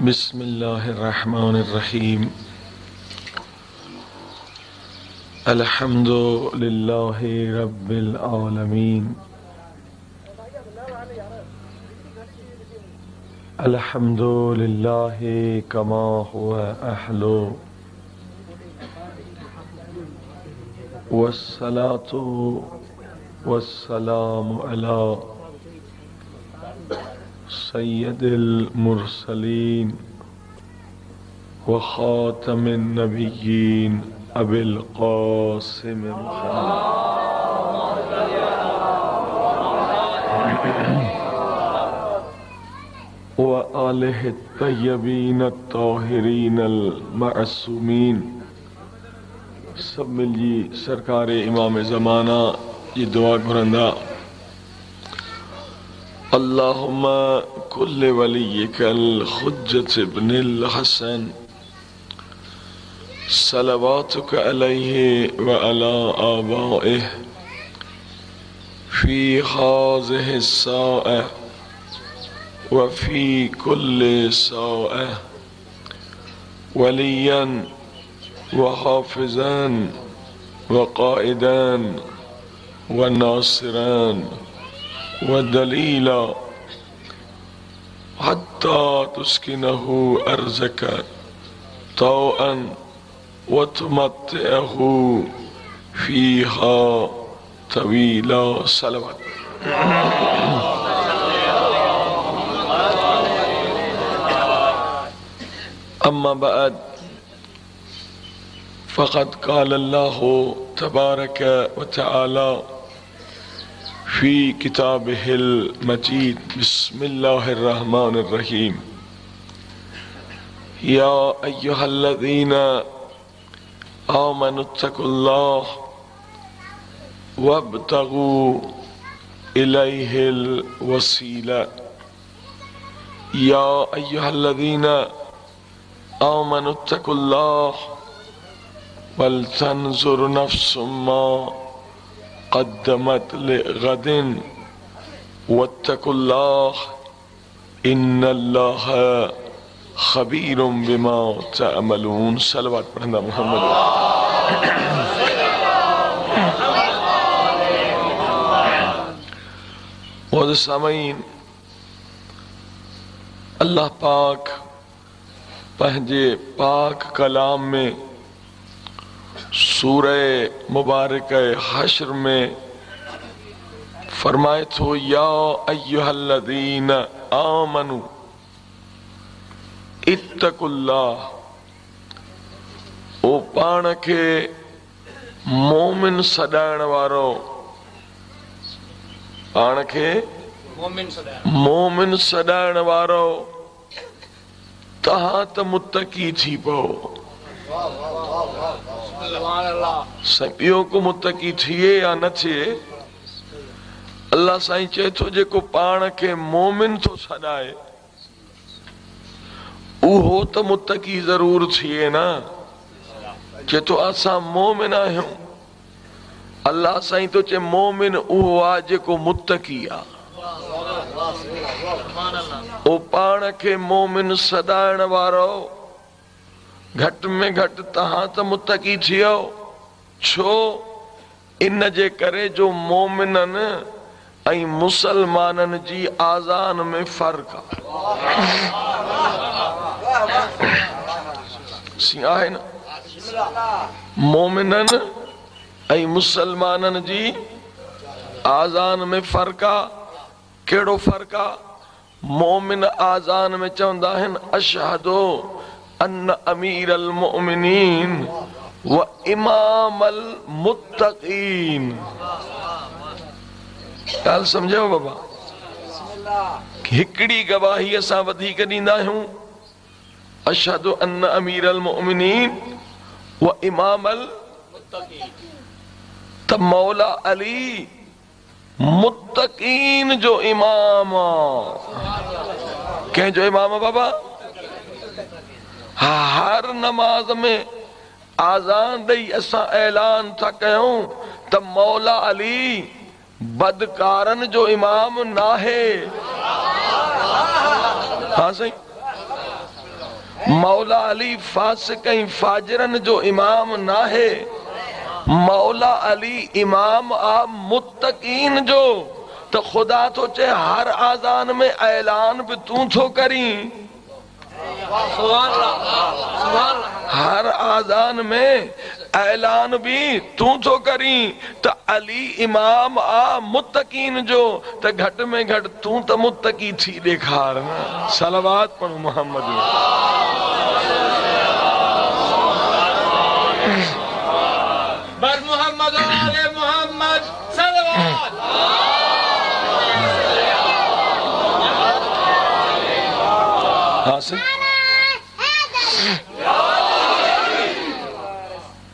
بسم الله الرحمن الرحيم. الحمد لله رب العالمين. الحمد لله كما هو أهل، والصلاة والسلام على سيد المرسلين وخاتم النبيين أبي القاسم محمد وآله الطيبين الطاهرين المعصومين. सभु मिलिजी सरकार इमाम ज़माना जी दुआ घुरंदा। अल्लाहुम्मा कुल्ल वलिय्यिकल हुज्जत इब्निल हसन सलवातुक अलैहि व अला आबाइहि फी हाज़िहि स्साअ व फी कुल्लि साअ वलिय्यन व हाफ़िज़न व क़ाइदन व नासिरन व दलीला हत्ता तुस्किनहु अर्ज़क तौअन व तुमत्तिअहु फीहा तवीला। सलवात। अम्मा बाद फ़क़द क़ाल अल्लाहु तबारक व तआला फ़ी किताबिहिल मजीद बिस्मिल्लाहिर्रहमानिर्रहीम। या अय्युहल्लज़ीना आमनुत्तकुल्लाह वब्तगू इलैहिल वसीला। या अय्युहल्लज़ीना आमनुत्तकुल्लाह वलतंज़ुर नफ़्सुम मा क़द्दमत लिग़दिन वत्तकुल्लाह इन्नल्लाह ख़बीरुम बिमा तअमलून। सलवात पढ़ंदा मुहम्मद। सामीन, अल्लाह पाक पंहिंजे पाक कलाम में सूरह मुबारक हश्र में फरमाए थो, या अय्युहल्लज़ीना आमनू इत्तकुल्लाह। ओ पाण खे मोमिन सॾाइण वारो, पाण खे मोमिन सॾाइण वारो, तव्हां त मुत्तकी थी पओ। साईं ॿियो को मुत्तकी थिए या न थिए, अल्लाह साईं चए थो जेको पाण खे मोमिन थो सॾाए उहो त मुत्तकी ज़रूर थिए न। चए थो असां मोमिन आहियूं। अल्लाह साईं थो चए मोमिन उहो आहे जेको मुत्तकी आहे। ओ पाण खे मोमिन सॾाइण वारो घटि में घटि तव्हां त मुत्तकी थियो। छो? इन जे करे जो मोमिननि ऐं मुसलमाननि जी आज़ान में फ़र्क़ु आहे। आहे न? मोमिननि ऐं मुसलमाननि जी आज़ान में फ़र्क़ु आहे। कहिड़ो फ़र्क़ु आहे? मोमिन आज़ान में चवंदा आहिनि अशहदो अन्न अमीर अल मुमिनीन व इमाम अल मुत्तकीन। ॻाल्हि सम्झो बाबा, हिकिड़ी गवाही असां वधीक ॾींदा आहियूं, अशहदु अन्न अमीर अल मुमिनीन व इमाम अल त मौला अली मुत्तकीन जो इमाम। कंहिंजो इमाम बाबा? हर नमाज़ में आज़ान ॾेई असां ऐलान था कयूं त मौला अली बदकारनि जो इमाम नाहे। हा साईं, मौला अली फ़ासिक ऐं फाजिरनि जो इमाम नाहे। मौला अली इमाम आ मुत्तकीन जो। त ख़ुदा थो चए हर आज़ान में ऐलान बि तूं थो करीं, हर आज़ान में ऐलान बि तूं थो करीं त अली इमाम आ मुत्तकीन जो। त घटि में घटि तूं त मुत्तकी थी ॾेखार न। सलावत पढ़ो मोहम्मद। बर मोहम्मद आले मोहम्मद सलावत।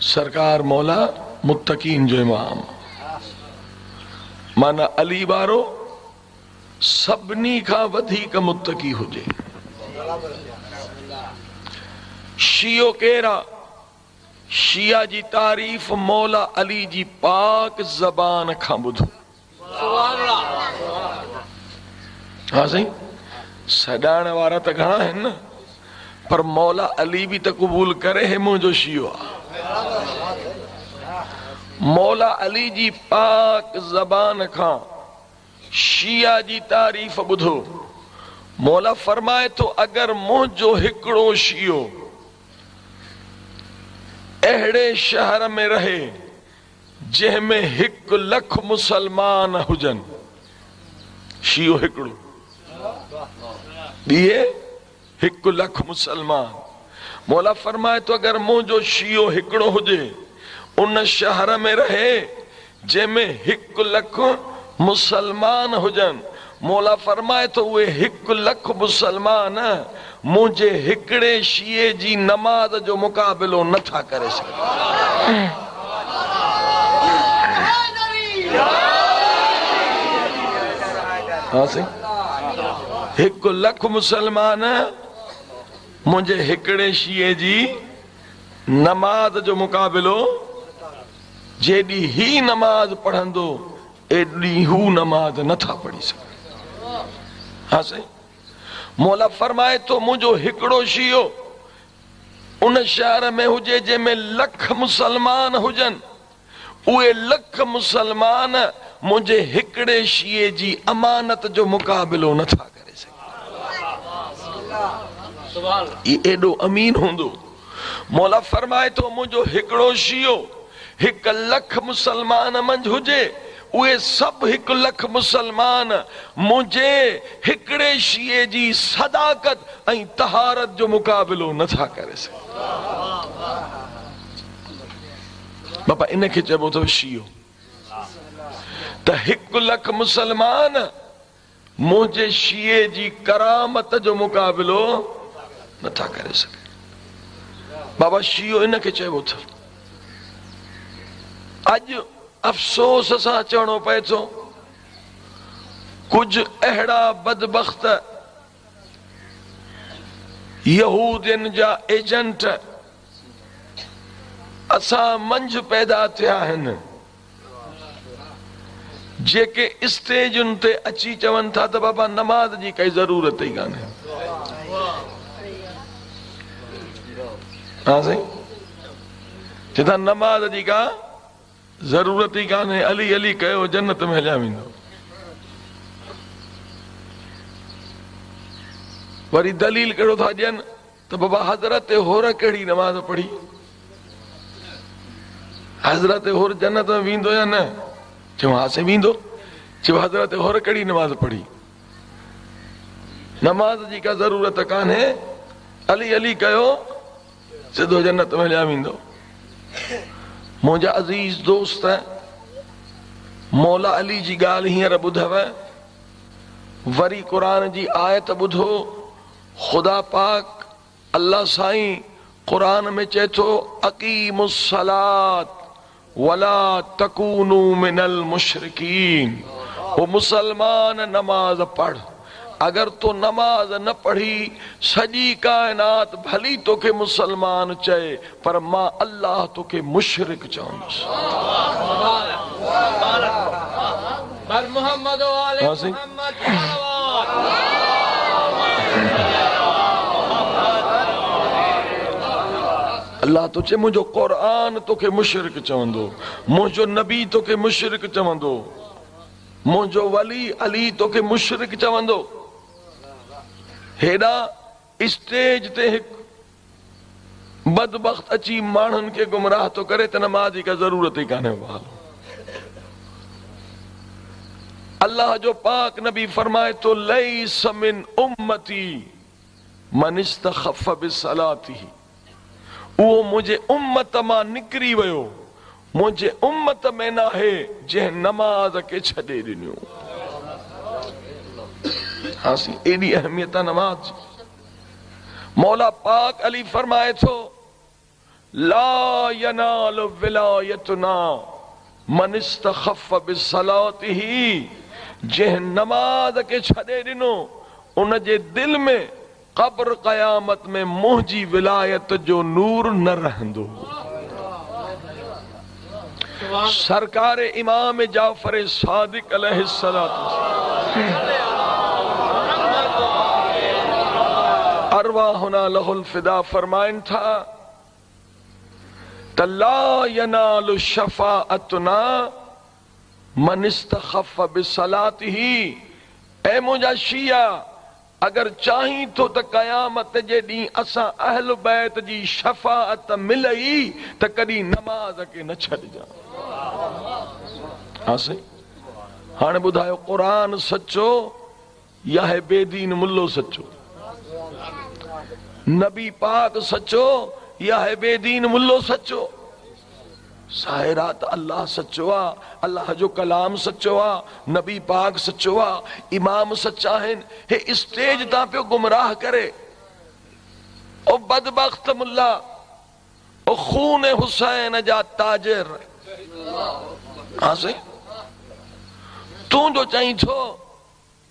सरकार मौला मुत्तकीन जो इमाम माना अली वारो सभिनी खां वधीक मुत्तकी हुजे। शियो केरु आहे? शिया जी तारीफ़ मौला अली जी पाक ज़बान खां ॿुधो। हा साईं, सॾाइण वारा त घणा आहिनि न, पर मौला अली बि त क़बूल करे हे मुंहिंजो शियो आहे। मौला अली जी पाक ज़बान खां शिया जी तारीफ़ ॿुधो। मौला फरमाए थो अगरि मुंहिंजो हिकिड़ो शियो अहिड़े शहर में रहे जंहिंमें 1 लख मुसलमान हुजनि, शियो हिकिड़ो ॿिए 1 लख मुसलमान। मौला फरमाए थो अगरि मुंहिंजो शियो हिकिड़ो हुजे उन शहर में रहे जंहिंमें 1 लख मुसलमान हुजनि, मौला फरमाए थो उहे 1 लख मुसलमान मुंहिंजे हिकिड़े शिए जी नमाज़ जो मुक़ाबिलो नथा करे सघनि। हा साईं, 1 लख मुसलमान मुंहिंजे हिकिड़े शिए जी नमाज़ जो मुक़ाबिलो, जेॾी ही नमाज़ पढ़ंदो एॾी हू नमाज़ नथा पढ़ी सघनि। हा साईं, मौला फरमाए थो मुंहिंजो हिकिड़ो शियो उन शहर में हुजे जंहिंमें लख मुसलमान हुजनि, उहे लख मुसलमान मुंहिंजे हिकिड़े शिए जी अमानत जो मुक़ाबिलो नथा करे सघनि। एॾो अमीन हूंदो। मौला फरमाए थो मुंहिंजो हिकिड़ो शियो 1 लख मुसलमान मंझ हुजे, उहे सभु 1 लख मुसलमान मुंहिंजे हिकिड़े शिए जी सदाकत ऐं तहारत जो मुक़ाबिलो नथा करे सघनि। बाबा इनखे चइबो अथव शियो। त 1 लख मुसलमान मुंहिंजे शिए जी करामत जो मुक़ाबिलो नथा करे सघनि। बाबा शियो इनखे चइबो अथव। अॼु अफ़सोस सां चवणो पए थो कुझु अहिड़ा बदबख़्त यहूदियुनि जा एजेंट असां मंझ पैदा थिया आहिनि जेके स्टेजुनि ते अची चवनि था त बाबा नमाज़ जी काई ज़रूरत ई कान्हे। हा साईं, चए था नमाज़ जी का ज़रूरत ई कान्हे, अली अली कयो जन्नत में हलिया वेंदो। वरी दलील कहिड़ो था ॾियनि त बाबा हज़रत हुर कहिड़ी नमाज़ पढ़ी, हज़रत हुर जन्नत में वेंदो या न? चयो हा साईं वेंदो। चयो हज़रत हुर कहिड़ी नमाज़ पढ़ी? नमाज़ जी का ज़रूरत कान्हे, अली अली कयो सिधो जन्नत में हलिया वेंदो। मुंहिंजा अज़ीज़ दोस्त, मौला अली जी ॻाल्हि हींअर ॿुधव, वरी क़ुर जी आयत ॿुधो। ख़ुदा पाक अल्लाह साईं क़ुर में चए थो अक़ीमुस्सलात वला तकूनू मिनल मुशरिकीन। ओ मुसलमान नमाज़ पढ़, अगर तो नमाज़ न पढ़ी सॼी काइनात भली तोखे मुसलमान चए, पर मां अल्लाह तोखे मुशरिक चवंदुसि। अल्लाह थो चए मुंहिंजो क़ुर तोखे मुशरिक चवंदो, मुंहिंजो नबी तोखे मुशरिक चवंदो, मुंहिंजो वली अली तोखे मुशरिक चवंदो। हेॾा स्टेज ते हिकु बदबख़्त अची माण्हुनि खे गुमराह थो करे त नमाज़ जी का ज़रूरत ई कान्हे। अल्लाह जो पाक नबी फरमाए थो लैस मिन उम्मती मन इस्तख़फ़ बिसलातिही, उहो मुंहिंजे उम्मत मां निकिरी वियो, मुंहिंजे उम्मत में न आहे जंहिं नमाज़ खे छॾे ॾिनियो। हा साईं, एॾी अहमियत आहे नमाज़ जी। मौला पाक अली फरमाए थो ला यनाल विलायतना मन इस्तख़फ़ बिसलातिही, जंहिं नमाज़ खे छॾे ॾिनो उनजे दिलि में क़ब्र क़यामत में मुंहिंजी विलायत जो नूर न रहंदो। सरकार इमाम जाफ़र सादिक अलैहिस्सलाम अरवाहुना लहुल फिदा फरमाइन था त ला यनालु शफाअतना मन इस्तख़फ़ बिसलातिही। ऐ मुंहिंजा शिया, अगरि चाहीं थो त क़यामत जे ॾींहुं असां अहल बैत जी शफ़ाअत मिलई त कॾहिं नमाज़ खे न छॾिजां। हा साईं, हाणे ॿुधायो क़ुर सचो या है बेदीन मुल्लो सचो? नबी पाक सचो या है बेदीन मुल्लो सचो? साहिरा त अल्लाह सचो आहे, अल्लाह जो कलाम सचो आहे, नबी पाक सचो आहे, इमाम सचा आहिनि। हे स्टेज तां पियो गुमराह करे। ओ बदबख्त मुल्ला, ओ खून हुसैन जा ताजिर। हा साईं, तूं जो चई थो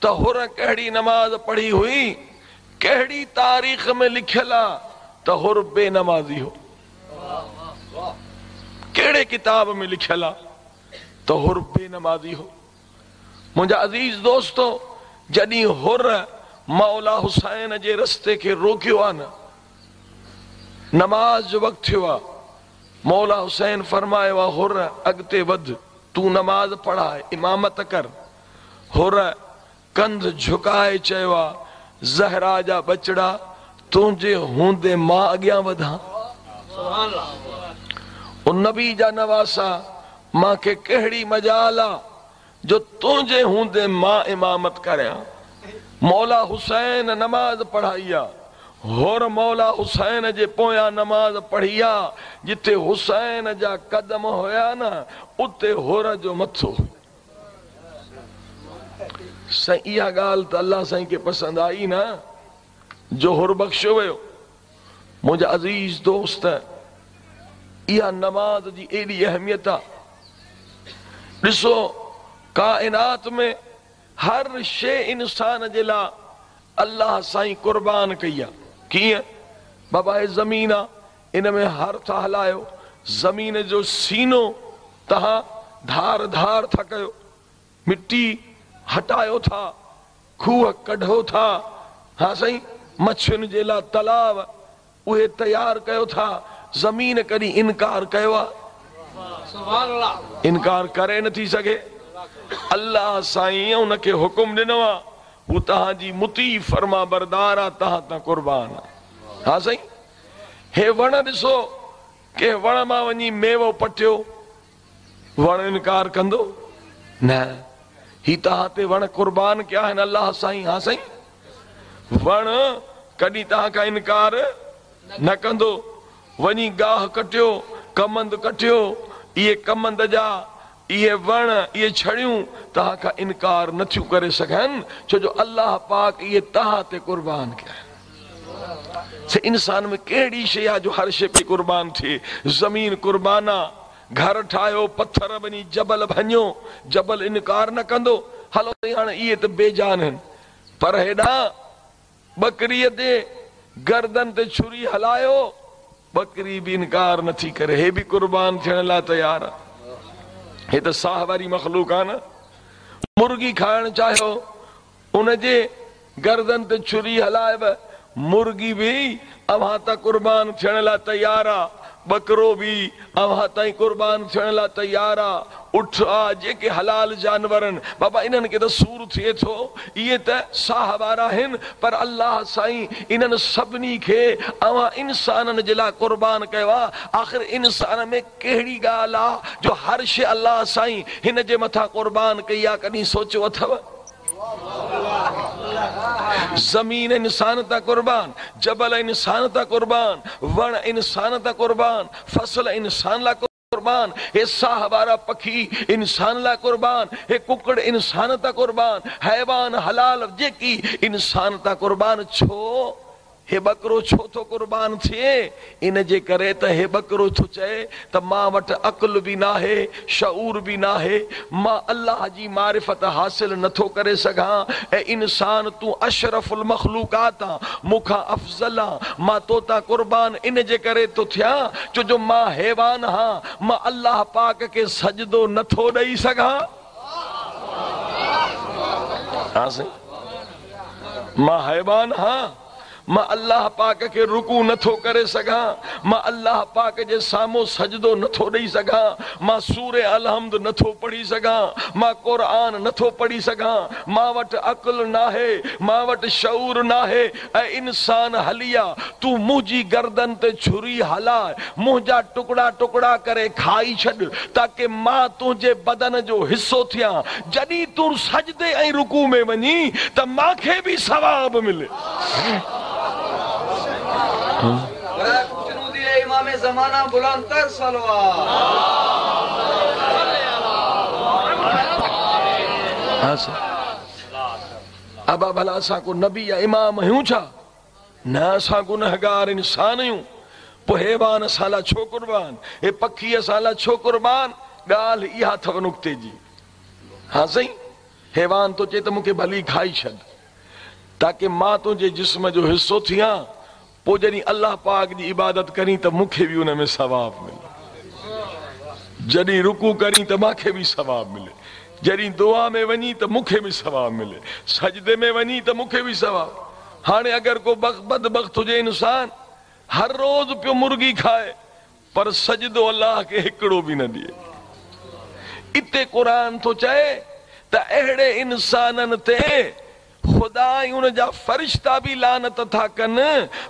त हुर कहिड़ी नमाज़ पढ़ी हुई, कहिड़ी तारीख़ में लिखियल आहे त हुर बेनमाज़ी हो? कहिड़े किताब में लिखियल आहे त हुर बेनमाज़ी हो? मुंहिंजा अज़ीज़ दोस्तो, जॾहिं हुर मौला हुसैन जे रस्ते खे रोकियो आहे न, नमाज़ जो वक़्तु थियो आहे, मौला हुसैन फरमायो आहे हुर अॻिते वध, तूं नमाज़ पढ़ाए, इमामत कर। हुर कंध झुकाए चयो आहे ज़हरा जा बचड़ा, तुंहिंजे हूंदे मां अॻियां वधां। उन नबी जा नवासा, मूंखे कहिड़ी मजाल आहे जो तुंहिंजे हूंदे मां इमामत करियां। मौला हुसैन नमाज़ पढ़ाई आहे, होर मौला हुसैन जे पोयां नमाज़ पढ़ी आहे, जिते हुसैन जा कदम हुया न उते होर जो मथो। साईं इहा ॻाल्हि त अल्लाह साईं खे पसंदि आई न जो हुर बख़्शियो वियो। मुंहिंजा अज़ीज़ दोस्त, इहा नमाज़ जी एॾी अहमियत आहे। ॾिसो काइनात में हर शइ इंसान जे लाइ अल्लाह साईं कुर्बान कई आहे। कीअं? बाबा हे ज़मीन आहे, इन में हर था हलायो, ज़मीन जो सीनो तव्हां धार धार था कयो, मिट्टी हटायो था, खूह कढो था, हा साईं मछियुनि जे लाइ तलाव उहे तयारु कयो था। ज़मीन कॾहिं इनकार कयो आहे? इनकार करे नथी सघे। अल्लाह साईं उनखे हुकुम ॾिनो आहे, हू तव्हांजी मुती फर्मा बरदार आहे, तव्हां तां कुर्बान आहे। हा साईं, हे वण ॾिसो, कंहिं वण मां वञी मेवो पटियो, वण इनकार कंदो न? ही तव्हां ते वण कुर्बान कया आहिनि अल्लाह साईं। हा साईं, वण कॾहिं तव्हां खां इनकार न कंदो। वञी गाह कटियो, कमंद कटियो, इहे कमंद जा इहे वण इहे छड़ियूं तव्हां खां इनकार नथियूं करे सघनि, छो जो अल्लाह पाक इहे तव्हां ते कुर्बान कया आहिनि। इंसान में कहिड़ी शइ आहे जो हर शइ पई कुर्बान थिए? ज़मीन कुर्बान आहे, घर ठाहियो, पथर वञी जबल भञो, जबल इनकार न कंदो। हलो हाणे इहे त बेजान आहिनि, पर हेॾां बकरीअ ते गर्दन ते छुरी हलायो, बकरी बि इनकार नथी करे, हे बि कुर्बान थियण लाइ तयारु आहे। हे त साह वारी मख़लूक आहे न। मुर्गी खाइण चाहियो, उनजे गर्दन ते छुरी हलाए, मुर्गी बि अव्हां तां कुर्बान थियण लाइ तयारु आहे। ٻڪرو به اوهان تائين قربان ٿيڻ لاء تيار آ، اٺ آ، جيڪي حلال جانور آهن، بابا انهن کي ته سور ٿئي ٿو، اهي ته ساهه وارا آهن، پر الله سائين انهن سڀني کي اوهان انسانن جي لاء قربان ڪيو آ، آخر انسان ۾ ڪهڙي ڳالهه آ جو هر شيء الله سائين هن جي مٿان قربان ڪئي آ، ڪڏهن سوچيو اٿو؟ زمين انسان تان قربان، جبل انسان تان قربان، وڻ انسان تان قربان، فصل انسان لاء قربان، هي ساهه وارا پکي انسان لاء قربان، هي ڪڪڙ انسان تان قربان، حيوان حلال جيڪي انسان تان قربان، ڇو؟ هي ٻڪرو ڇو ٿو قربان ٿئي؟ ان جي ڪري ته هي ٻڪرو ٿو چئي ته مان وٽ عقل به ناهي، شعور به ناهي، مان الله جي معرفت حاصل نه ٿو ڪري سگهان، اي انسان تون اشرف المخلوقات آن، مون کان افضل آن، مان تو تان قربان ان جي ڪري ٿو ٿيان ڇو جو مان حيوان هان، مان الله پاڪ کي سجدو نه ٿو ڏئي سگهان. ها سائين. مان حيوان هان، مان الله پاڪ کي رڪوع نه ٿو ڪري سگهان، مان الله پاڪ جي سامهون سجدو نه ٿو ڏئي سگهان، مان سورة الحمد نه ٿو پڙهي سگهان، مان قرآن نه ٿو پڙهي سگهان، مان وٽ عقل ناهي، مان وٽ شعور ناهي، اي انسان هلي آ، تون منهنجي گردن تي ڇري هلاء، منهنجا ٽڪڙا ٽڪڙا ڪري کائي ڇڏ، تاڪه مان تنهنجي بدن جو حصو ٿيان، جڏهن تون سجدي ۽ رڪوع ۾ وڃين ته مان کي به ثواب ملي. برائي خوشنودي امام زمانه بلند تر صلوات. ابا ڀلا اسان ڪو نبي يا امام آهيون ڇا؟ نه اسان گنهگار انسان آهيون، پوء حيوان اسان لاء ڇو قربان؟ هي پکي اسان لاء ڇو قربان؟ ڳالهه اها اٿو نقطي جي. ها سائين، حيوان ٿو چئي ته مون کي ڀلي کائي ڇڏ، تاڪه مان تنهنجي جسم جو حصو ٿيان، پوء جڏهن الله پاڪ جي عبادت ڪرين ته مون کي به ان ۾ ثواب ملي. جڏهن رڪوع ڪرين ته مان کي به ثواب ملي. جڏهن دعا ۾ وڃين ته مون کي به ثواب ملي. سجدي ۾ وڃين ته مون کي به ثواب. هاڻي اگر ڪو بدبخت هجي انسان هر روز پيو مرغي کائي پر سجدو الله کي هڪڙو به نه ڏئي. اتي قرآن ٿو چئي ته اهڙي انسانن تي خدا ۽ ان جا فرشتا به لعنت ٿا ڪن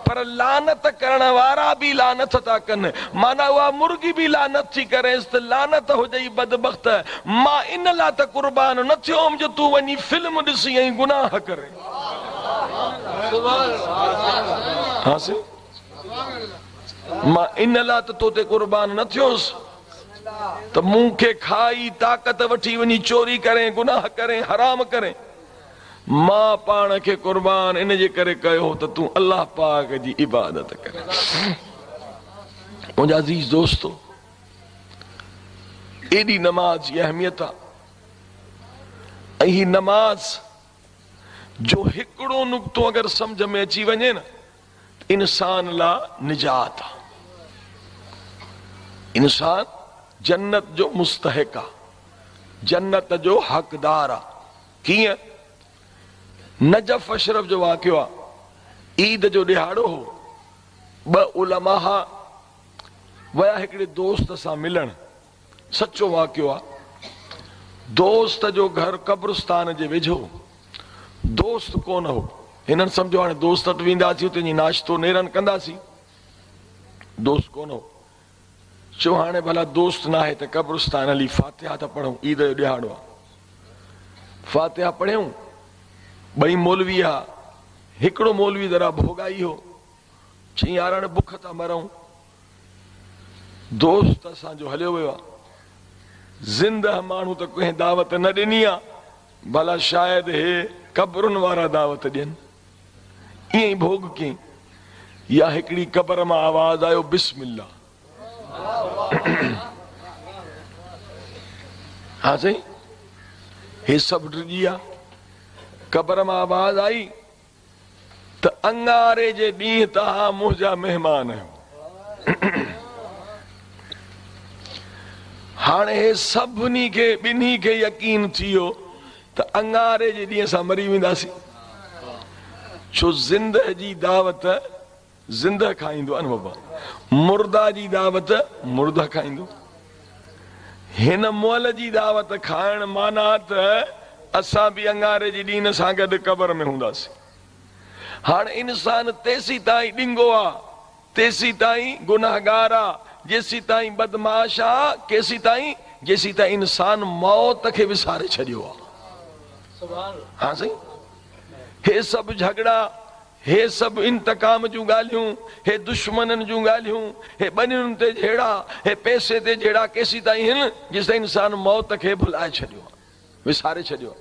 پر لعنت ڪرڻ وارا به لعنت ٿا ڪن معنيٰ اها مرغي به لعنت ٿي ڪريس ته لعنت هجئي بدبخت مان ان لاء ته قربان نه ٿيو هوم جو تون وڃي فلم ڏسين ۽ گناهه ڪرين. ها سائين مان ان لاء ته تو تي قربان نه ٿيس ته مون کي کائي طاقت وٺي وڃي چوري ڪرين گناهه ڪرين حرام ڪرين مان پاڻ کي قربان ان جي ڪري ڪيو هو ته تون الله پاڪ جي عبادت ڪرين. منهنجا عزيز دوستو ايڏي نماز جي اهميت آ ۽ هي نماز جو هڪڙو نقطو اگر سمجهه ۾ اچي وڃي نه ته انسان لا نجات آ. انسان جنت جو مستحق آ، جنت جو حقدار آ. ڪيئن؟ نجف اشرف جو واقعو آ، عيد جو ڏهاڙو هو، ٻه علماء ويا هڪڙي دوست سان ملڻ. سچو واقعو آ. دوست جو گهر قبرستان جي ويجهو. دوست ڪونه هو. هنن سمجهيو هاڻي دوست وٽ وينداسين اتي وڃي ناشتو نيرن ڪنداسين. دوست ڪونه هو. چيو هاڻي ڀلا دوست ناهي ته قبرستان هلي فاتحه ته پڙهون عيد جو ڏهاڙو آ. فاتحه پڙهيون. ٻئي مولوي ها. هڪڙو مولوي ذرا ڀوڳائي هو. چيائين يار هاڻي بک ٿا مرون. دوست اسان جو هليو ويو آ. زنده ماڻهو ته ڪنهن دعوت نه ڏني آ، ڀلا شايد هي قبرن وارا دعوت ڏين. ائين ئي ڀوڳ ڪيائين. يا هڪڙي قبر مان آواز آيو بسم الله. ها سائين هي سڀ ڊڄي ويا. قبر مان آواز آئي. ته اڱاري جي ڏينهن توهان منهنجا مهمان آهيو. هاڻي هي سڀني کي ٻنهي کي يقين ٿي ويو ته اڱاري جي ڏينهن اسان مري وينداسين. ڇو زندهه جي دعوت زنده کائيندو آ نه بابا. مرده جي دعوت مرده کائيندو. هن مئل جي دعوت کائڻ معنيٰ ته اسان به اڱاري جي ڏينهن سان گڏ قبر ۾ هونداسين. هاڻ انسان تيسيتائين ڏنگو آ، تيسيتائين گنهگار آ، جيسيتائين بدمعاش آ، ڪيسيتائين؟ جيسيتائين انسان موت کي وساري ڇڏيو آ. ها سائين، هي سڀ جهڳڙا، هي سڀ انتقام جون ڳالهيون، هي دشمنن جون ڳالهيون، هي ٻنين تي جهيڙا، هي پئسي تي جهيڙا ڪيسيتائين هن؟ جيستائين انسان موت کي ڀلائي ڇڏيو آ. وساري ڇڏيو.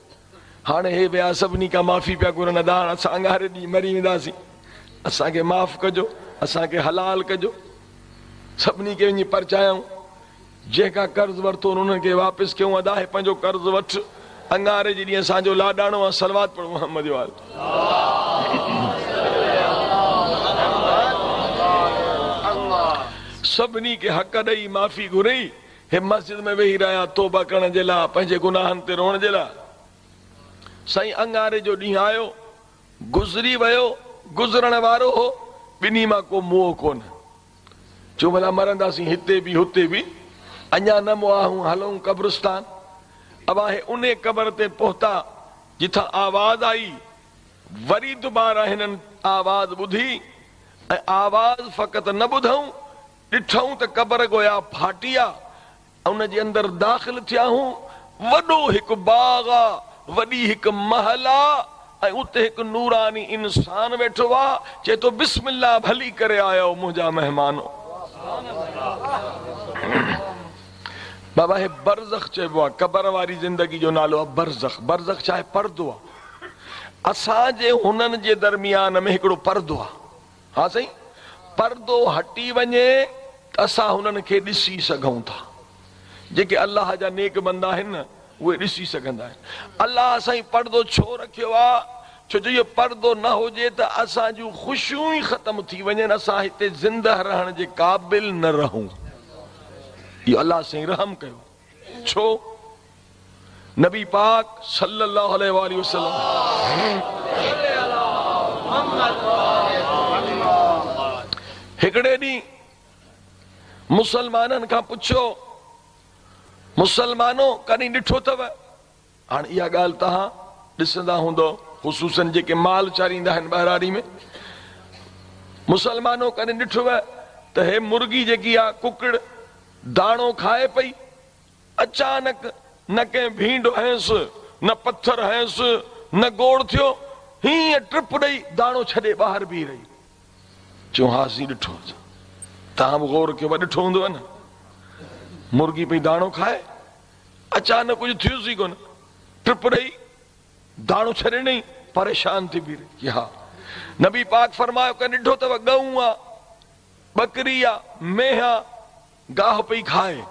هاڻي هي ويا سڀني کان معافي پيا گهرن ادا هاڻ اسان اڱاري ڏينهن مري وينداسين اسان کي معاف ڪجو اسان کي حلال ڪجو. سڀني کي وڃي پرچايائون. جنهن کان قرض ورتو انهن کي واپس ڪيائون ادا هي پنهنجو قرض وٺ اڱاري جي ڏينهن اسان جو لاڏاڻو آ صلوات پڙهو محمد وآل. سڀني کي حق ڏئي معافي گهري هي مسجد ۾ ويهي رهيا توبه ڪرڻ جي لاء، پنهنجي گناهن تي روئڻ جي لاء. سائين اڱاري جو ڏينهن آيو، گذري ويو، گذرڻ وارو هو، ٻنهي مان ڪو موئو ڪونه. چيو ڀلا مرنداسين هتي به هتي به، اڃا نه مئا آهيون، هلون قبرستان. ابا هي انهي قبر تي پهتا، جتان آواز آئي، وري دوباره هنن آواز ٻڌي ۽ آواز فقط نه ٻڌئون، ڏٺئون ته قبر گويا ڦاٽي آ، ان جي اندر داخل ٿيا هون، وڏو هڪ باغ آ، وڏي هڪ محل آ ۽ اتي هڪ نوراني انسان ويٺو آ، چئي ٿو بسم الله ڀلي ڪري آيؤ منهنجا مهمانو. بابا هي برزخ چئبو آ، قبر واري زندگي جو نالو آ برزخ، برزخ ڇا آهي؟ پردو آ، اسان جي هنن جي درميان ۾ هڪڙو پردو آ. ها سائين پردو هٽي وڃي ته اسان هنن کي ڏسي سگهون ٿا. جيڪي الله جا نيڪ بندا آهن نه اهي ڏسي سگهندا آهن. الله سائين پردو ڇو رکيو آ؟ ڇو جو اهو پردو نه هجي ته اسان جون خوشيون ئي ختم ٿي وڃن اسان هتي زنده رهڻ جي قابل نه رهون. اهو الله سائين رحم ڪيو. ڇو؟ نبي پاڪ صلي الله عليه واٰله وسلم هڪڙي ڏينهن مسلمانن کان پڇيو مسلمانو ڪڏهن ڏٺو اٿو هاڻ اها ڳالهه توهان ڏسندا هوندؤ خصوصن جيڪي مال چاريندا آهن ٻهراڙي ۾ مسلمانو ڪڏهن ڏٺو ته هي مرغي جيڪي آ ڪڪڙ داڻو کائي پئي اچانڪ نه ڪنهن ڀينڊ هنيس، نه پٿر هنيس، نه گوڙ ٿيو، هيئن ٽپ ڏئي داڻو ڇڏي ٻاهر بيهي رهي. چيو ها سائين ڏٺو اٿم. توهان به غور ڪيو ڏٺو هوندو نه. مرغي پئي داڻو کائي، اچانڪ ڪجهه ٿيس ئي ڪونه، ٽپ ڏئي داڻو ڇڏي ڏنئي، پريشان ٿي بيهي رهي. ها نبي پاڪ فرمايو ڪڏهن ڏٺو اٿو ڳئون آ، ٻڪري آ، مينهن آ، گاهه پئي کائي.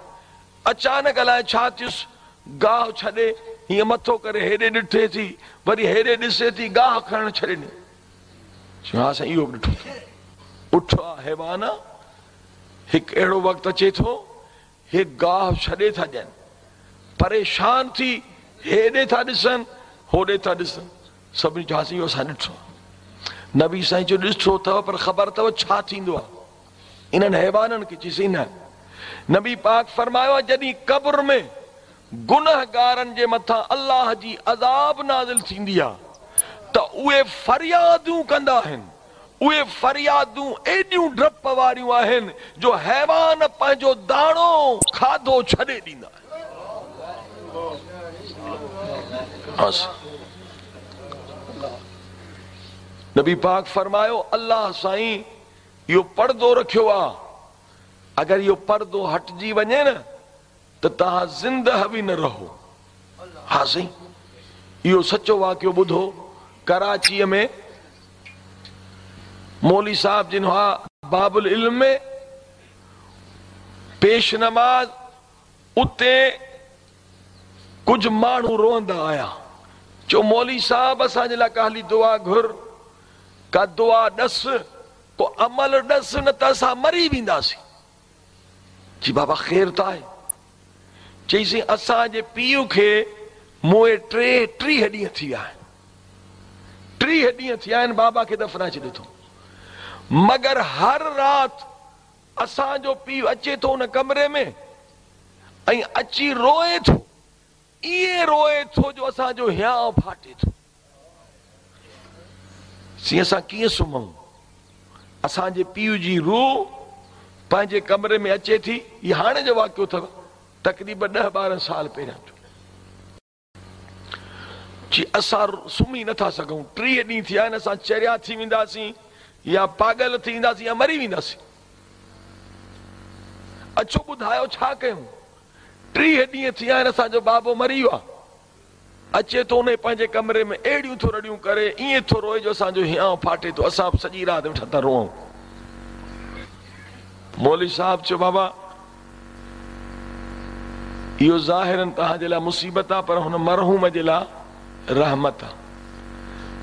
اچانڪ الائي ڇا ٿيس، گاهه ڇڏي هيئن مٿو ڪري هيڏي ڏٺي ٿي، وري هيڏي ڏسي ٿي، گاهه کائڻ ڇڏي ڏني. چيو ها سائين اهو به ڏٺو اٿم. اٺ آ، حيوان آ، هڪ اهڙو وقت اچي ٿو، هي گاهه ڇڏي ٿا ڏين. پريشان ٿي هيڏي ٿا ڏسن، هوڏي ٿا ڏسن. سڀني چيو ها سائين اهو اسان ڏٺو آ. نبي سائين چيو ڏٺو اٿو پر خبر اٿو ڇا ٿيندو آ؟ انهن حيوانن کي چيسين نه. نبي پاڪ فرمايو آهي جڏهن قبر ۾ گنهگارن جي مٿان الله جي عذاب نازل ٿيندي آهي ته اهي فريادون ڪندا آهن، اهي فريادون ايڏيون ڊپ واريون آهن جو حيوان پنهنجو داڻو کاڌو ڇڏي ڏيندا آهن. نبي پاڪ فرمايو الله سائين اهو پردو رکيو آ، اگر اهو پردو هٽجي وڃي نه ته توهان زندهه به نه رهو. ها سائين اهو سچو واقعو ٻڌو، ڪراچيء ۾ مولوي صاحب جن هئا باب العلم ۾ پيش نماز، اتي ڪجهه ماڻهو روئندا آيا، چيو مولوي صاحب اسان جي لاء ڪا هلي دعا گهر، ڪا دعا ڏس، ڪو عمل ڏس نه ته اسان مري وينداسين. چي بابا خير ته آهي؟ چئيسين اسان جي پيء کي موئي ٽي 30 ڏينهن ٿي ويا آهن. 30 ڏينهن ٿيا آهن بابا کي دفنائي ڇڏيو اٿئون. مگر هر رات اسان جو پيء اچي ٿو ان ڪمري ۾ ۽ اچي روئي ٿو، ائين روئي ٿو جو اسان جو هيانء ڦاٽي ٿو. سائين اسان ڪيئن سمهون؟ اسان جي پيء جي روح پنهنجي ڪمري ۾ اچي ٿي، هي هاڻي جو واقعو اٿو، تقريبن ڏهه ٻارهن سال پهريان جو. چي اسان سمهي نٿا سگهون، 30 ڏينهن ٿيا آهن، اسان چريا ٿي وينداسين يا پاڳل ٿي وينداسين يا مري وينداسين. اچو ٻڌايو ڇا ڪيون؟ 30 ڏينهن ٿيا آهن اسان جو بابو مري ويو آهي. اچي ٿو انهي پنهنجي ڪمري ۾ اهڙيون ٿو رڙيون ڪري، ائين ٿو روئي جو اسان جو هيانء ڦاٽي ٿو، اسان به سڄي رات ويٺا ٿا روئون. مولوي صاحب چيو بابا اهو ظاهراً توهان جي لاء مصيبت آ پر هن مرحوم جي لاء رحمت آ.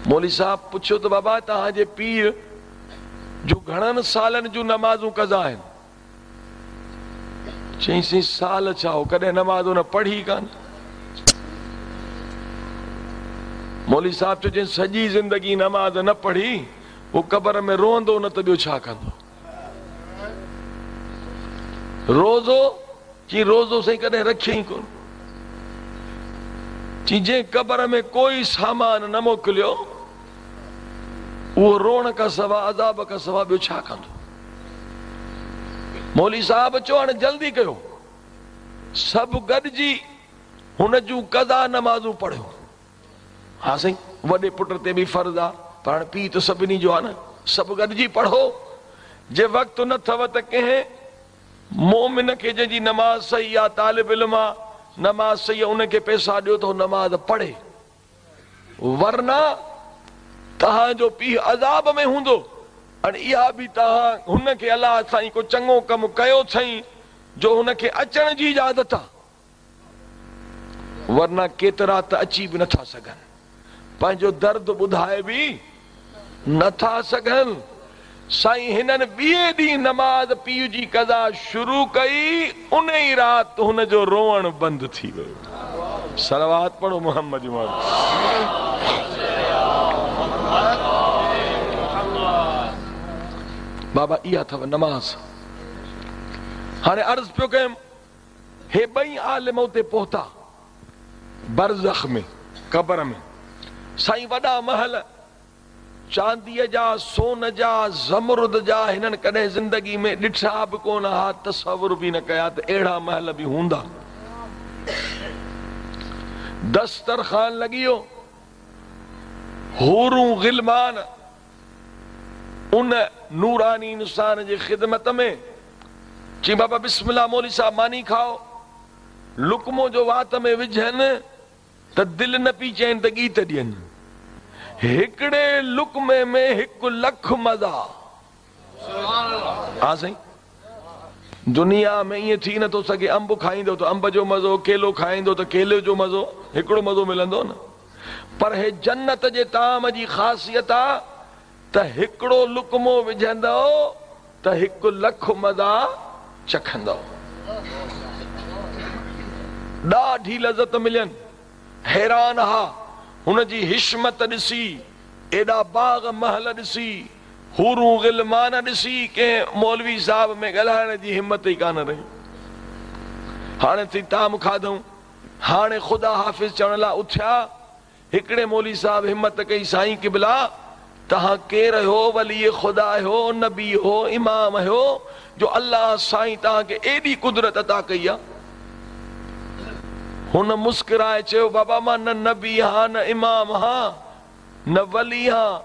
مولوي صاحب پڇيو ته بابا توهان جي پيء جون گهڻن سالن جون نمازون قضا آهن؟ چيائين سائين سال ڇا هو ڪڏهن نماز هن پڙهي ئي ڪانه. مولوي صاحب چيو جنهن سڄي زندگي نماز نه پڙهي هو قبر ۾ روئندو نه ته ٻيو ڇا ڪندو. روزو؟ چي روزو سائين ڪڏهن رکيائين ڪونه. چي جنهن قبر ۾ ڪوئي سامان نه موڪليو اهو روئڻ کان سوا عذاب کان سوا ٻيو ڇا ڪندو. مولوي صاحب چيو هاڻي جلدي ڪيو سڀ گڏجي هن جون قضا نمازون پڙهيو. ها سائين وڏي پٽ تي به فرض آ پر هاڻي پيء ته سڀني جو آ نه سڀ گڏجي پڙهو جي وقت نه ٿو ته ڪنهن مومن کي جنهن جي نماز صحيح آ طالب علم آ نماز صحيح آ ان کي پئسا ڏيو ته هو نماز پڙهي. ورنه توهان جو پيء عذاب ۾ هوندو ۽ اها به توهان هن کي الله سائين ڪو چڱو ڪم ڪيو اٿئين جو هن کي اچڻ جي اجازت آ ورنه ڪيترا ته اچي به نٿا سگهن پنهنجو درد ٻڌائي به نٿا سگهن. سائين هنن ٻئي ڏينهن نماز پيء جي قضا شروع ڪئي ان ئي رات هن جو روئڻ بند ٿي ويو. صلوات پڙهو محمد واري. بابا اها اٿو نماز. هاڻي عرض پيو ڪيم هي ٻئي عالم اتي پهتا برزخ ۾ قبر ۾ سائين وڏا محل چانديء جا، سون جا، زمرد جا هنن ڪڏهن زندگي ۾ ڏٺا به ڪونه ها، تصور به نه ڪيا ته اهڙا محل به هوندا. دسترخوان لڳي ويو، حورون غلمان ان نوراني انسان جي خدمت ۾، چي بابا بسم الله مولوي صاحب ماني کائو، لقمو جو وات ۾ وجهن، ته دل نه پي چين ته ڳيت ڏين. هڪڙي لقمي ۾ هڪ لک مزا. ها سائين دنيا ۾ ائين ٿي نٿو سگهي انب کائيندو ته انب جو مزو ڪيلو کائيندو ته ڪيلي جو مزو هڪڙو مزو ملندو نه پر هي جنت جي طعام جي خاصيت آ ته هڪڙو لقمو وجهندؤ ته هڪ لک مزا چکندؤ. ڏاڍي لذت ملين. حيران ها هن جي حشمت ڏسي، ايڏا باغ محل ڏسي، حورون غلمان ڏسي ڪنهن مولوي صاحب ۾ ڳالهائڻ جي همت ئي ڪانه رهي. هاڻي ٿي طعام کاڌئون، هاڻي خدا حافظ چوڻ لاء اٿيا. هڪڙي مولوي صاحب همت ڪئي، سائين قبلا! توهان ڪير آهيو، ولي خدا آهيو، نبي هو، امام آهيو، جو الله سائين توهان کي ايڏي قدرت عطا ڪئي آ؟ هن مسڪرائي چيو، بابا مان نه نبي هان، نه امام هان، نه ولي هان،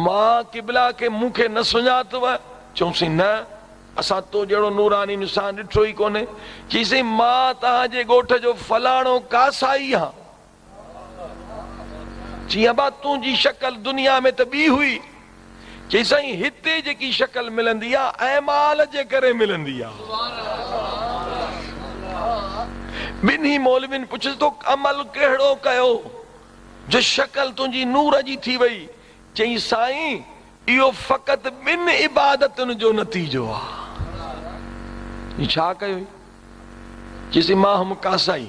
مان قبلا کي مون کي نه سڃاتو؟ چيائونسين، نه، اسان تو جهڙو نوراني انسان ڏٺو ئي ڪونهي. چيسين، مان توهان جي ڳوٺ جو فلاڻو ڪاسائي هان. چيائين ابا تنهنجي شڪل دنيا ۾ ته ٻي هئي. چيائين سائين هتي جيڪي شڪل ملندي آ اعمال جي ڪري ملندي آ. ٻنهي مولوين پڇيس تو عمل ڪهڙو ڪيو جو شڪل تنهنجي نور جي ٿي وئي. چيائين سائين اهو فقط ٻن عبادتن جو نتيجو آ. چيائين ڇا ڪيوئي؟ چيائين مان هئم ڪاسائي.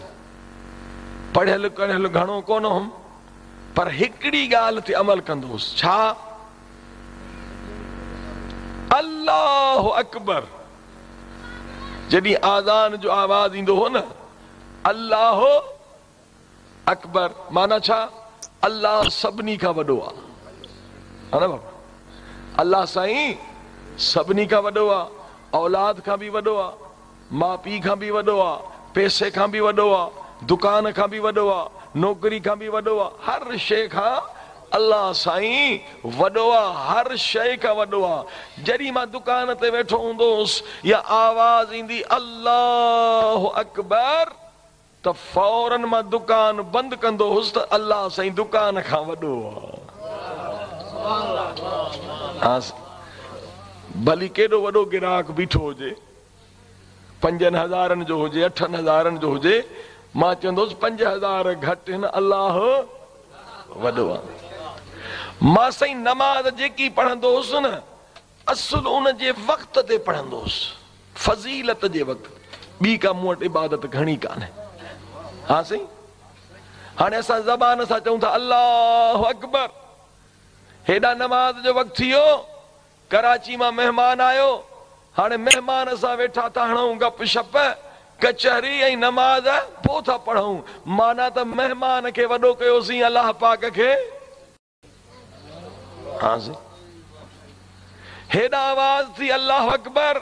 پڙهيل ڪڙهيل گهڻو ڪونه هئم، پر هڪڙي ڳالهه تي عمل ڪندو هوس. ڇا؟ الله اڪبر جڏهن آذان جو آواز ايندو هو نه الله اڪبر معنيٰ ڇا؟ الله سڀني کان وڏو آ. ها نه بابا الله سائين سڀني کان وڏو آ، اولاد کان به وڏو آ، ماء پيء کان به وڏو آ، پئسي کان به وڏو آ، دڪان کان به وڏو آ، نوڪري کان به وڏو آ، هر شيء کان الله سائين وڏو آ، هر شيء کان وڏو آ. جڏهن مان دڪان تي ويٺو هوندو هوس يا آواز ايندي الله اڪبر ته فورن مان دڪان بند ڪندو هوس ته الله سائين دڪان کان وڏو آ. ڀلي ڪيڏو وڏو گراهڪ بيٺو هجي، 5000 جو هجي، 8000 جو هجي، مان چوندو هوس 5000 گهٽ هن الله وڏو آ. مان سائين نماز جيڪي پڙهندو هوس نه اصل ان جي وقت تي پڙهندو هوس، فضيلت جي وقت تي. ٻي ڪا مون وٽ عبادت گهڻي ڪانهي. ها سائين هاڻي اسان زبان سان چئون ٿا الله اڪبر، هيڏانهن نماز جو وقت ٿي ويو، ڪراچي مان مهمان آيو، هاڻي مهمان سان ويٺا ٿا هڻون گپ شپ، ڪچهري ۽ نماز پوء ٿا پڙهون، معنيٰ ته مهمان کي وڏو ڪيوسين الله پاڪ کي. ها سائين هيڏانهن آواز ٿي الله اڪبر،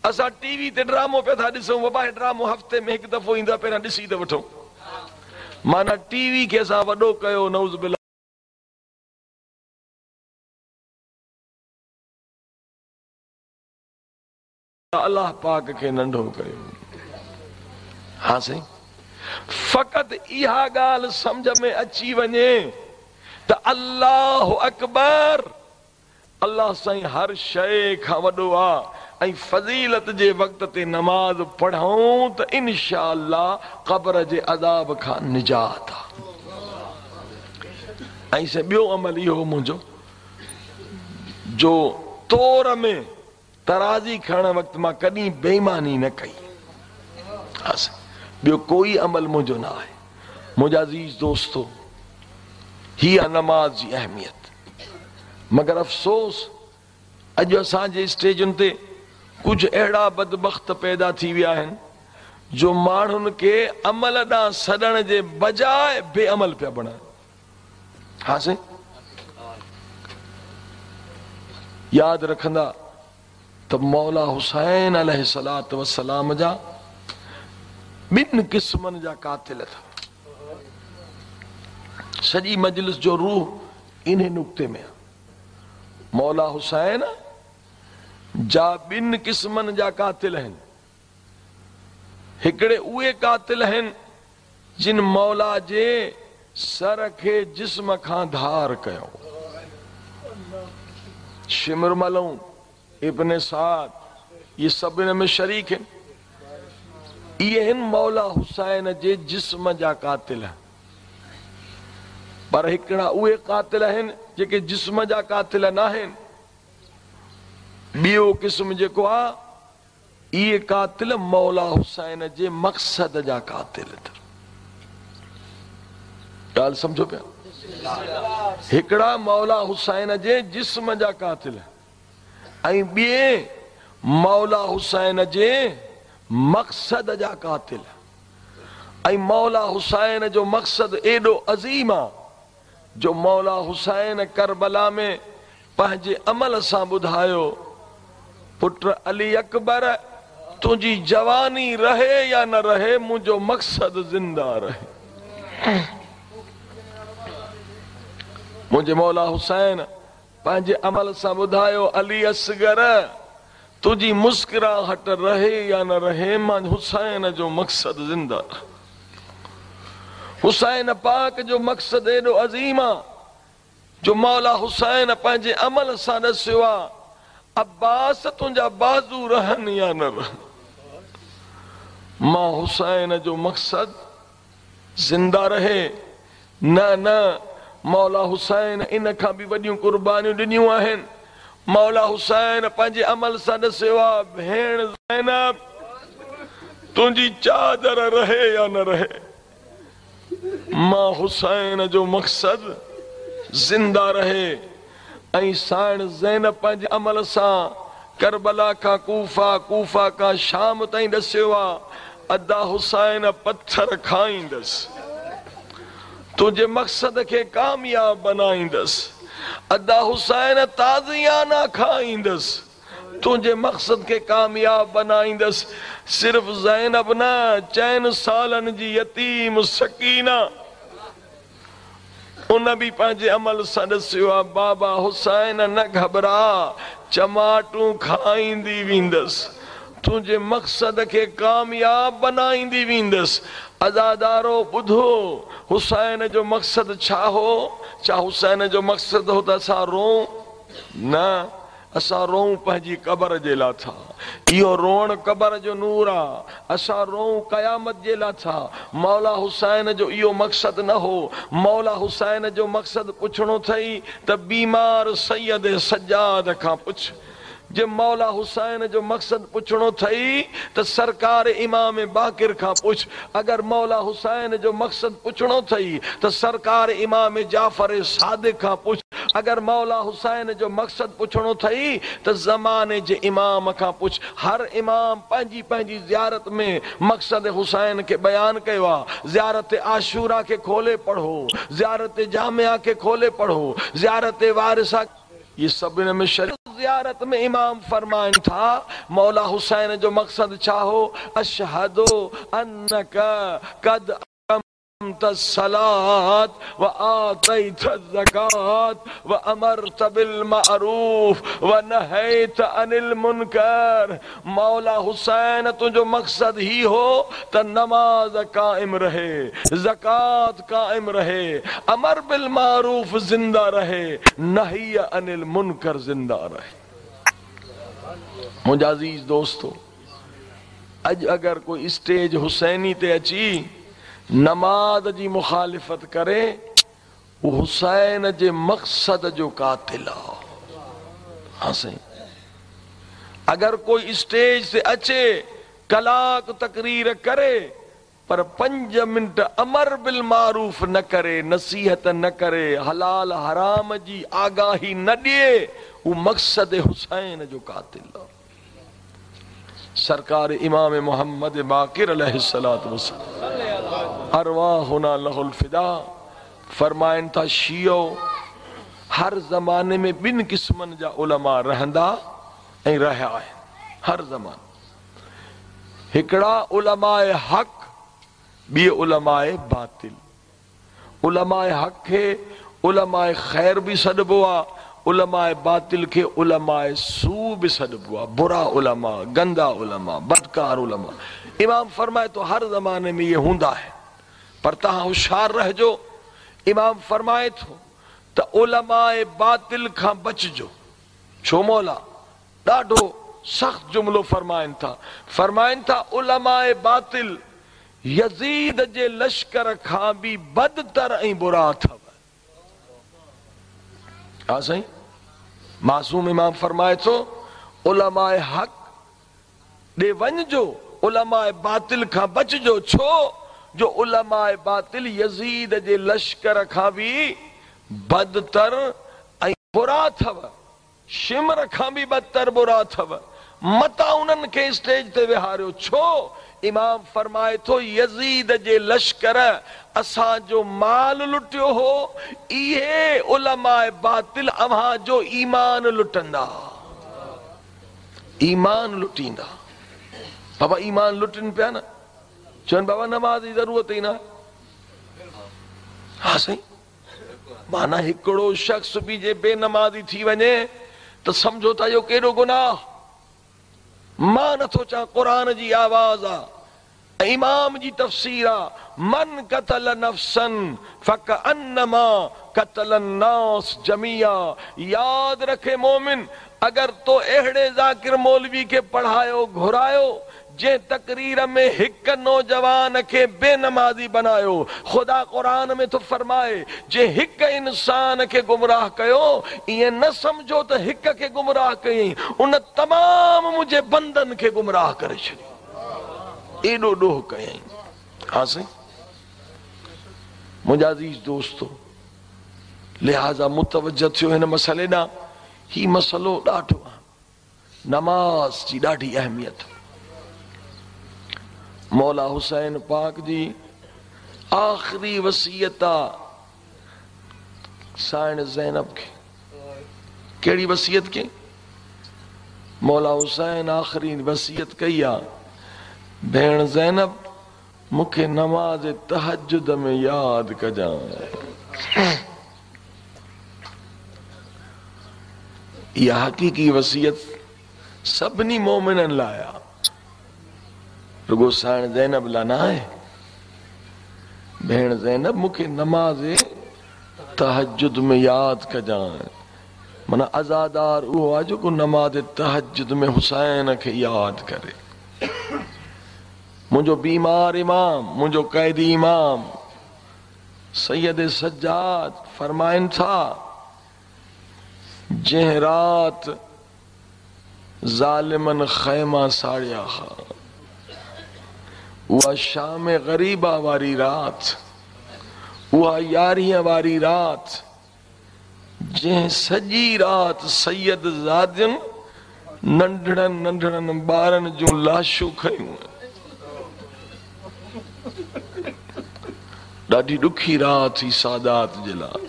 اسان ٽي وي تي ڊرامو پيا ٿا ڏسون، بابا هي ڊرامو هفتي ۾ هڪ دفعو ايندو آهي پهريان ڏسي ته وٺون، معنيٰ ٽي وي کي اسان وڏو ڪيو نعوذ بالله. الله پاڪ کي ننڍو ڪيو. ها سائين فقط اها ڳالهه سمجهه ۾ اچي وڃي ته الله اڪبر الله سائين هر شيء کان وڏو آ ۽ فضيلت جي وقت تي نماز پڙهون ته انشاء الله قبر جي عذاب کان نجات آ. ۽ سائين ٻيو عمل اهو منهنجو جو تور ۾ ترازي کڻڻ وقت مان ڪڏهن بي ايماني نه ڪئي. ها سائين ٻيو ڪوئي عمل منهنجو نه آهي. منهنجا عزيز دوستو هي آ نماز جي اهميت. مگر افسوس اڄ اسان جي اسٽيجن تي ڪجهه اهڙا بدبخت پيدا ٿي ويا آهن جو ماڻهن کي عمل ڏانهن سڏڻ جي بجاء بي عمل پيا بڻائن. ها سائين ياد رکندا ته مولا حسين عليه الصلوة والسلام جا ٻن قسمن جا قاتل اٿو. سڄي مجلس جو روح انهي نقطي ۾ آ. مولا حسين جا ٻن قسمن جا قاتل آهن. هڪڙي اهي قاتل آهن جن مولا جي سر کي جسم کان ڌار ڪيو. شمر ملعون، ابن سعد، اهي سڀ ان ۾ شريڪ هن. اهي هن مولا حسين جي جسم جا قاتل. پر هڪڙا اهي قاتل آهن جيڪي جسم جا قاتل ناهن. ٻيو قسم جيڪو آ اهي قاتل مولا حسين جي مقصد جا قاتل اٿن. ڳالهه سمجهو پيا؟ هڪڙا مولا حسين جي جسم جا قاتل ۽ ٻئي مولا حسين جي مقصد جا قاتل. ۽ مولا حسين جو مقصد ايڏو عظيم آ جو مولا حسين ڪربلا ۾ پنهنجي عمل سان ٻڌايو، پٽ علي اڪبر تنهنجي جواني رهي يا نه رهي منهنجو مقصد زنده رهي. منهنجي مولا حسين پنهنجي عمل سان ٻڌايو، علي اصغر تنهنجي مسڪراهٽ رهي يا نه رهي مان حسين جو مقصد زنده رهي. حسين پاڪ جو مقصد ايڏو عظيم آ جو مولا حسين پنهنجي عمل سان ڏسيو آ، عباس تنهنجا بازو رهن يا نه رهن، مان حسين جو مقصد زنده رهي. نه نه، مولا حسين ان کان به وڏيون قربانيون ڏنيون آهن. مولا حسين پنهنجي عمل سان ڏسيو آ، ڀيڻ زينب تنهنجي چادر رهي يا نه رهي. مان حسين جو مقصد زنده رهي ۽ سائڻ زينب پنهنجي عمل سان ڪربلا खां कूफ़ा, कूफ़ा खां शाम ताईं ॾसियो आहे, अदा हुसैन पथर खाईंदसि, तुंहिंजे मक़सद खे कामयाब बनाईंदसि। अदा हुसैन ताज़ियाना खाईंदसि, तुंहिंजे मक़सद खे कामयाब बनाईंदसि। सिर्फ़ ज़ैनब न, 4 सालनि जी यतीम सकीना उन बि पंहिंजे अमल सां ॾसियो आहे, बाबा हुसैन न घबरा, चमाटूं खाईंदी वेंदसि, तुंहिंजे मक़सद खे कामयाब बनाईंदी वेंदसि। अज़ादारो ॿुधो, हुसैन जो मक़सदु छा हो? छा हुसैन जो मक़सदु हो त असां रोऊं? न, असां रोऊं पंहिंजी क़बर जे लाइ था। इहो रोअणु क़बर जो नूर आहे। असां रोऊं क़यामत जे लाइ था। मौला हुसैन जो इहो मक़सदु न हो। मौला हुसैन जो मक़सदु पुछणो अथई त बीमार सैयद सज्जाद खां पुछ। जे मौला हुसैन जो मक़सदु पुछणो अथई त सरकार इमाम बाक़िर खां पुछ। अगरि मौला हुसैन जो मक़सदु पुछणो अथई त सरकार इमाम जाफ़र सादिक़ खां पुछ। अगरि मौला हुसैन जो मक़सदु पुछणो अथई त ज़माने जे इमाम खां पुछ। हर इमाम पंहिंजी पंहिंजी ज़ियारत में मक़सद हुसैन खे बयानु कयो आहे। ज़ियारत आशूरा खे खोले पढ़ो, ज़ियारत जामिया खे खोले पढ़ो, ज़ियारत वारिसा, ये सभु हिन में शरीक। ज़ियारत में इमाम फरमाइनि था, मौला हुसैन जो मक़सदु छा हो? अशहदु अन्नका कद अक़मत सलात व आतैत ज़कात व अमरत बिल मारूफ व नहैत अनिल मुनकर। मौला हुसैन तुंहिंजो मक़सदु ही हो त नमाज़ क़ाइम रहे, ज़कात क़ाइम रहे, अमर बिल मारूफ ज़िंदा रहे, नही अनिल मुनकर ज़िंदा रहे। मुंहिंजा अज़ीज़ दोस्तो, अॼु अगरि कोई स्टेज हुसैनी ते अची नमाज़ जी मुखालिफ़त करे, उहो हुसैन जे मक़सद जो क़ातिल आहे। हा साईं, अगरि कोई स्टेज ते अचे कलाक तकरीर करे पर 5 मिंट अमर बिल मारूफ न करे, नसीहत न करे, हलाल हराम जी आगाही न ॾिए, उहो मक़सद हुसैन जो क़ातिल आहे। सरकार इमाम मोहम्मद बाक़िर अलैहिस्सलातु वस्सलाम अरवाहुना लहुल फिदा फरमाइनि था, शियो हर ज़माने में ॿिनि क़िस्मनि जा उलमा रहंदा ऐं रहिया आहिनि। हर ज़माने हिकिड़ा उलमाए हक़, ॿिए उलमाए बातिल। उलमाए हक़ खे उलमाए ख़ैर बि सॾिबो आहे, उलमाए बातिल खे उलमाए सू बि सॾिबो आहे। बुरा उलमा, गंदा उलमा, बदकार उलमा। इमाम फरमाए तो हर ज़माने में इहे हूंदा आहिनि, पर तव्हां होशियार रहिजो। इमाम फरमाए थो त उलमाए बातिल खां बचिजो। छो मौला? ॾाढो सख़्तु जुमिलो फरमाइनि था। फरमाइनि था उलमाए बातिल यज़ीद जे लश्कर खां बि बदतर ऐं बुरा अथव। हा साईं, मासूम इमाम फरमाए थो उलमाए हक़ ॾे वञिजो, उलमाए बातिल खां बचिजो। छो जो उलमाए बातिल यज़ीद जे लश्कर खां बि बदतर ऐं बुरा अथव, शिमर खां बि बदतर बुरा अथव। मतां उन्हनि खे स्टेज ते विहारियो। छो? इमाम फरमाए थो यज़ीद जे लश्कर असांजो माल लुटियो हो, इहे उलमाए बातिल अव्हां जो ईमान लुटंदा, ईमान लुटींदा। बाबा ईमान लुटनि पिया न, चवनि बाबा नमाज़ जी ज़रूरत ई न। हा साईं, माना हिकिड़ो शख़्स बि जे बेनमाज़ी थी वञे त सम्झो था इहो केॾो गुनाह। मां नथो चाहियां, क़ुर जी आवाज़ आहे, इमाम जी तफ़सीर आहे, मन कतल नफ़्सन फ़कअन्नमा कतल अन्नास जमिया। यादि रखे मोमिन, अगरि तो अहिड़े ज़ाकिर मौलवी खे पढ़ायो घुरायो जंहिं तकरीर में हिकु नौजवान खे बेनमाज़ी बनायो, ख़ुदा क़ुर में थो फरमाए जंहिं हिकु इंसान खे गुमराह कयो, ईअं न सम्झो त हिकु खे गुमराह कयईं, उन तमामु मुंहिंजे बंदनि खे गुमराह करे छॾियो, एॾो ॾोह कयईं। हा साईं, मुंहिंजा अज़ीज़ दोस्तो, लिहाज़ा मुतवजह थियो हिन मसइले ॾांहुं। हीउ मसइलो ॾाढो आहे। नमाज़ जी ॾाढी अहमियत। मौला हुसैन पाक जी आख़िरी वसीयत आहे साइण ज़ैनब खे। कहिड़ी वसीयत कई? मौला हुसैन आख़िरी वसीयत कई आहे, भेण ज़ैनब मूंखे नमाज़ तहज्जुद में यादि कजांइ। इहा हक़ीक़ी वसीयत सभिनी मोमिननि लाइ आहे, रुगो साइण ज़ैनब लाइ न आहे। भेण ज़ैनब मूंखे नमाज़ तहज्जुद में यादि कजांइ। माना अज़ादार उहो आहे जेको नमाज़ तहज्जुद में हुसैन खे यादि करे। मुंहिंजो बीमार इमाम, मुंहिंजो क़ैदी इमाम सैयद सज्जाद फरमाइनि था, जंहिं राति ज़ालिमनि ख़ैमा साड़िया हा, उहा शाम ग़रीबा वारी राति, उहा यारहीं वारी राति, जंहिं सॼी राति सैयद ज़ादियुनि नंढड़नि नंढड़नि ॿारनि जूं लाशूं खयूं। ॾाढी ॾुखी राति हुई सादात जे लाइ।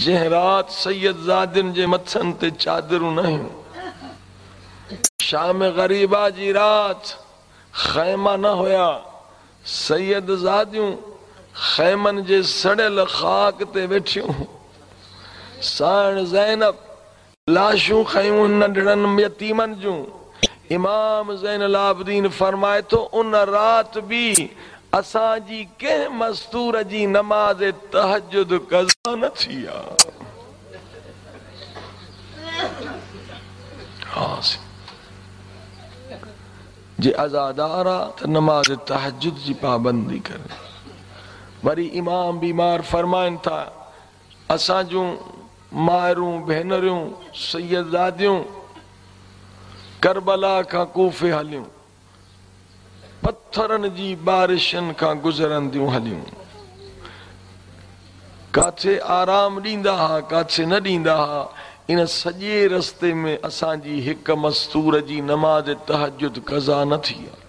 जंहिं राति सैयद ज़ादियुनि जे मथनि ते चादरूं न हुयूं, शाम ग़रीबा जी राति ख़ैमा न हुया, सैयद ज़ादियूं ख़ैमनि जे सड़ियल ख़ाक ते वेठियूं। साइण ज़ैनब लाशूं खयूं नंढड़नि यतीमनि जूं। इमाम ज़ैनुल आबिदीन फरमाए थो, उन राति बि असांजी कंहिं मस्तूर जी नमाज़ तहज्जुद क़ज़ा न थी आहे। जे अज़ादार आहे त नमाज़ तहज्जुद जी पाबंदी करे। वरी इमाम बीमार फरमाइनि था, असां जूं मायरूं भेनरियूं सैयदादियूं करबला खां कूफे हलियूं, पत्थरनि जी बारिशनि खां गुज़रंदियूं हलियूं, काथे आराम ॾींदा हुआ काथे न ॾींदा हुआ। इन सॼे रस्ते में असांजी हिकु मस्तूर जी नमाज़ तहज्जुद क़ज़ा न थी आहे।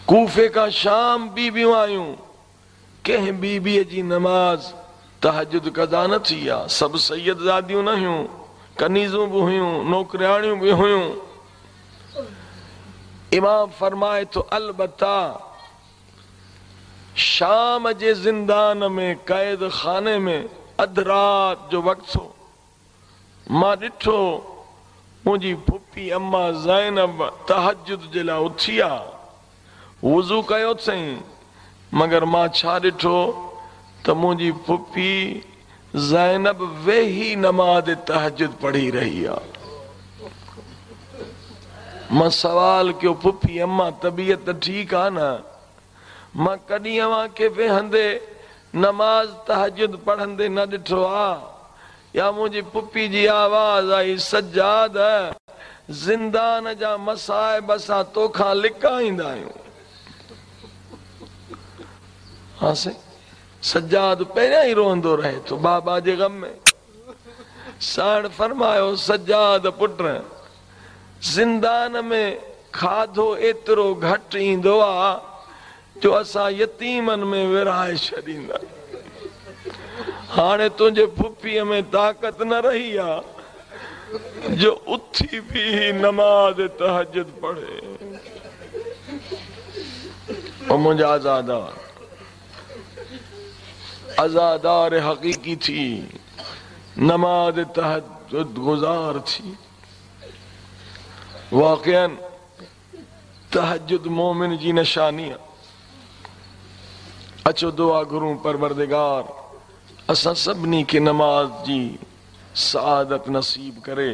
कूफे खां शाम बीबियूं आयूं, कंहिं बीबीअ जी नमाज़ तहज्जुद क़ज़ा न थी आहे। सभु सैयदज़ादियूं न हुयूं, कनीज़ूं बि हुयूं, नौकरियाणियूं बि हुयूं। इमाम फरमाए थो, अलबत्ता शाम जे ज़िंदान में क़ैद खाने में अधु राति जो वक़्तु हो, मां ॾिठो मुंहिंजी फुफी अम्मा ज़ैनब तहज्जुद जे लाइ उथी आहे, वुज़ू कयो अथई, मगर मां छा ॾिठो त मुंहिंजी फुफी ज़ैनब वेही नमाज़ तहज्जुद पढ़ी रही आहे। मां सवाल कयो, फुफी अम्मा तबीयत ठीकु आहे न? मां कॾहिं अव्हांखे वेहंदे नमाज़ तहज्जुद पढ़ंदे न ॾिठो आहे। या मुंहिंजी फुफी जी आवाज़ आई, सज्जाद ज़िंदान जा मसाइब असां तोखां लिकाईंदा आहियूं। हा साईं, सज्जाद पहिरियां ई रोअंदो रहे थो बाबा जे ग़म में। साइण फरमायो, सज्जाद पुट, ज़िंदान में खाधो एतिरो घटि ईंदो आहे जो असां यतीमनि में विराए छॾींदा। हाणे तुंहिंजे फुफीअ में ताक़त न रही आहे जो उथी बि नमाज़ तहज्जुद पढ़े। ओ मुंहिंजा आज़ादार, अज़ादार हक़ीक़ी थी, नमाज़ तहज्जुद गुज़ार थी। वाक़ियन तहज्जुद मोमिन जी निशानी आहे। अचो दुआ घुरूं, परवरदिगार असां सभिनी खे नमाज़ जी सआदत नसीब करे,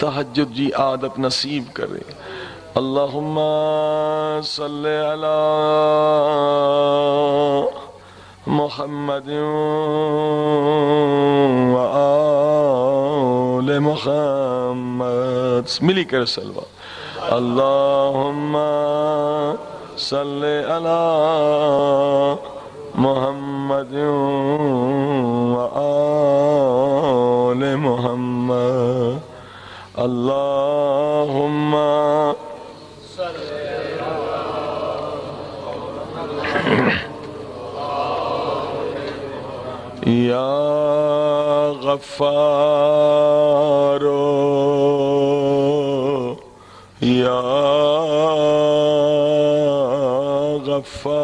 तहज्जुद जी आदत नसीब करे। अल्लाहुम्मा सल्लि अला मुहम्मद व आले मुहम्मद। मिली कर सलवा। अल्लाहुम्मा सल्लि अला मुहम्मद व आले मुहम्मद। अल्लाहुम्मा या गफ्फार या गफ्फार,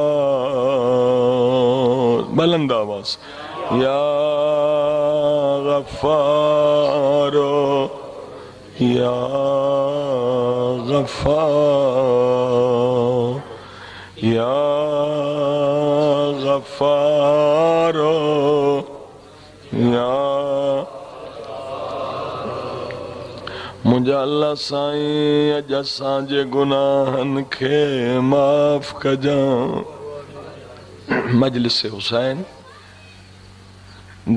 बुलंद आवाज, या गफ्फार या गफ्फार या गफ्फार या। मुंहिंजा अल्लाह साईं अॼु असांजे गुनाहनि खे माफ़ कजांइ। मजलिस हुसैन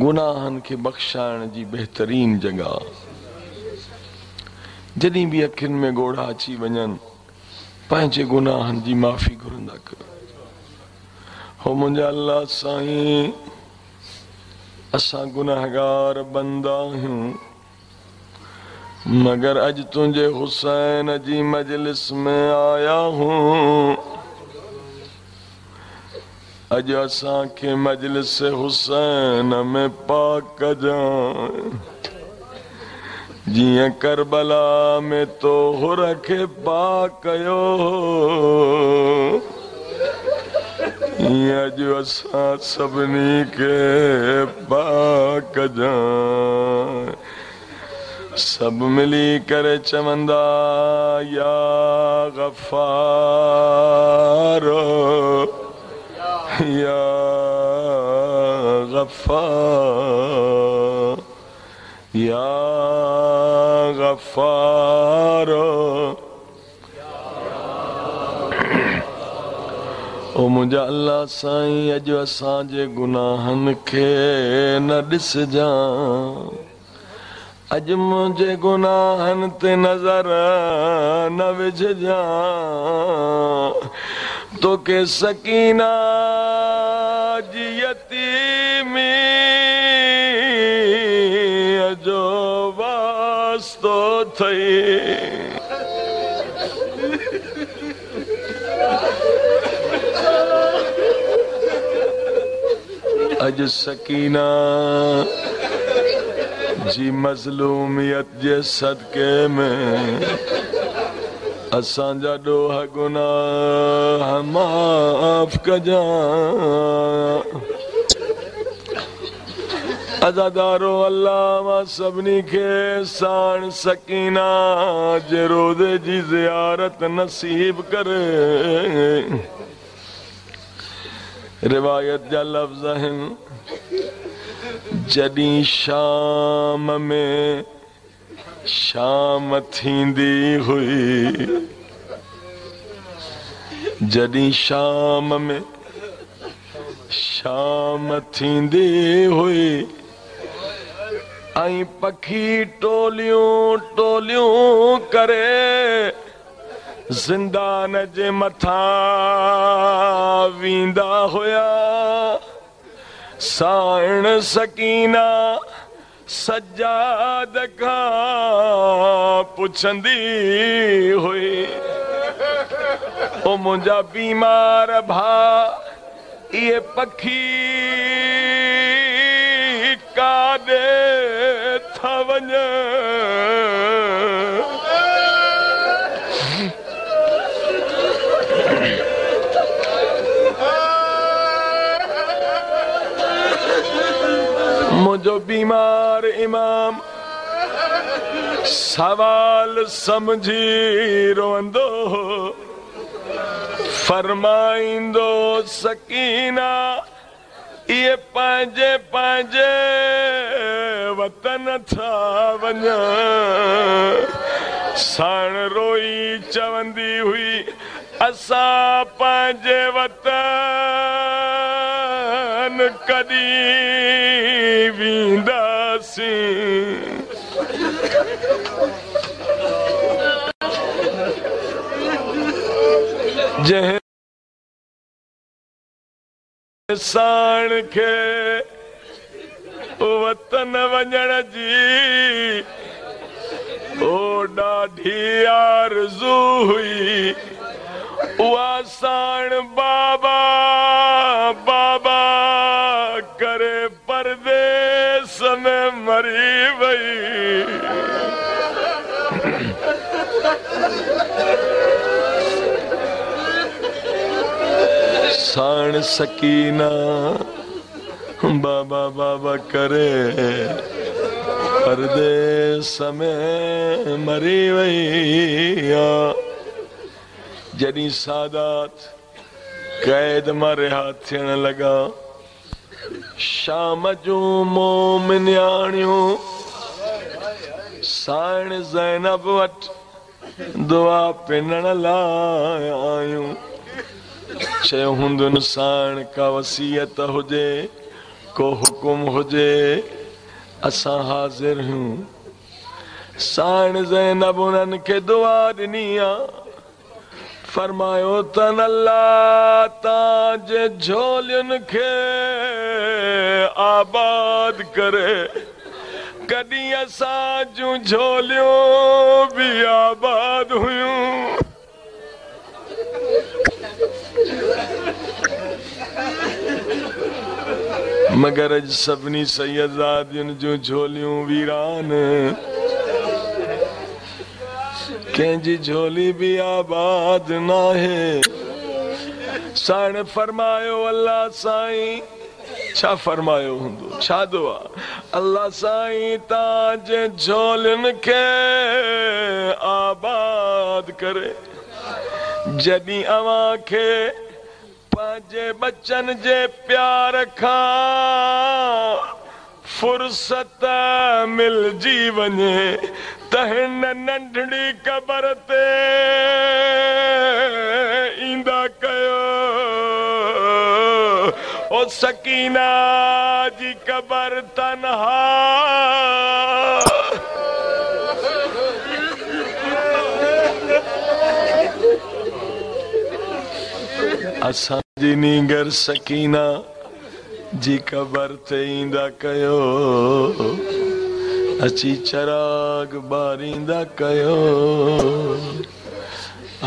गुनाहनि खे बख़्शाइण जी बहितरीन जॻह। जॾहिं बि अखियुनि में ॻोढ़ा अची वञनि, पंहिंजे गुनाहनि जी माफ़ी घुरंदा कयो। हो मुंहिंजा अल्लाह साईं, असां गुनाहगार बंदा आहियूं, मगर अॼु तुंहिंजे हुसैन जी मजलिस में आया हूँ। अॼु असांखे मजलिस हुसैन में पाक कजांइ, जीअं करबला में तो हुर खे पाक कयो, ईअं अॼु असां सभिनी खे पाक कजांइ। सभु मिली करे चवंदा या गफ्फार या गफ्फार या गफ्फार। ओ मुंहिंजा अल्लाह साईं, अॼु असांजे गुनाहनि खे न ॾिसजांइ, अॼु मुंहिंजे गुनाहनि ते नज़र न विझजांइ। तोखे सकीना जी यतीमी जो वास्तो अथई। अॼु सकीना जी मज़लूमियत जे सदके में असांजा ॾोह गुनाह माफ़ कजांइ। अज़ादारो अल्लाह मां सभिनी खे साण सकीना जे रोज़े जी ज़ियारत नसीब करे। रिवायत जा लफ़्ज़ आहिनि, जॾहिं शाम में शाम थींदी हुई, जॾहिं शाम में शाम थींदी हुई ऐं पखी टोलियूं टोलियूं करे ज़िंदान जे मथां वेंदा हुया, साइण सकीना सज्जाद खां पुछंदी हुई, ओ मुंहिंजा बीमार भाउ, इहे पखी काॾे था वञनि? मुंहिंजो बीमार इमाम सवाल सम्झी रोअंदो, फरमाईंदो सकीना इहे पंहिंजे पंहिंजे वतन था वञनि। साण रोई चवंदी हुई, असां पंहिंजे वतन कॾहिं वेंदासीं। जंहिं साण खे वतन वञण जी ओ ॾाढी आरज़ू हुई। उहा साण बाबा बाबा करे परदेस में मरी वई। साण सकीना बाबा बाबा करे परदेस में मरी वई। जॾहिं सादात क़ैद मां रिहा थियण लॻा, शाम जूं मोमिनियाणियूं साइण ज़ैनब वटि दुआ पिनण लाइ आयूं। चयो हूंदुनि साइण का वसीयत हुजे, को हुकुम हुजे, असां हाज़िर आहियूं। साइण ज़ैनब उन्हनि खे दुआ ॾिनी आहे, फरमायो तन अल्लाह तव्हांजे झोलियुनि खे आबाद करे। कॾहिं असां जूं झोलियूं बि आबाद हुयूं। मगर अॼु सभिनी सैयदादियुनि जूं झोलियूं वीरान, कंहिंजी झोली बि आबाद नाहे। साइण फरमायो अल्लाह साईं, छा फरमायो हूंदो, छा दुआ, अल्लाह साईं तव्हांजे झोलियुनि खे आबाद करे। जॾहिं अव्हां खे पंहिंजे बच्चनि जे प्यार खां फुर्सत मिलजी वञे त हिन नंढड़ी क़बर ते ईंदा कयो। ओ सकीना जी क़बर तन्हा। असांजी नींगर सकीना जी क़बर ते ईंदा कयो, अची चिराग ॿारींदा कयो,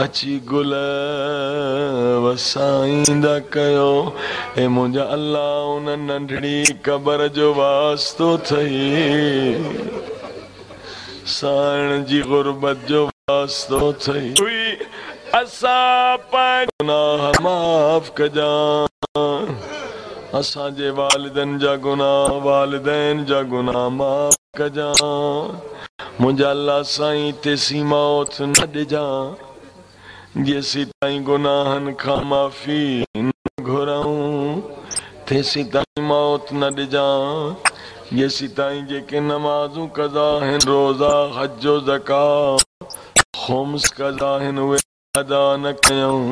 अची गुल वसाईंदा कयो। ऐं मुंहिंजा अल्लाह उन नंढड़ी क़बर जो वास्तो अथई, साइण जी ग़ुरबत जो वास्तो अथई। असां पंहिंजा गुनाह माफ़ कजां, असांजे वालिदनि जा गुनाह, वालिदैन जा गुनाह माफ़ कजां। मुंहिंजा अल्लाह साईं तेसीं मौत न ॾिजां जेसीं ताईं गुनाहनि खां माफ़ी न घुराऊं, तेसीं ताईं मौत न ॾिजां जेसीं ताईं जेके नमाज़ूं कज़ा आहिनि, रोज़ा, हज, ज़कात, ख़ुम्स कज़ा आहिनि, उहे अदा न कयूं।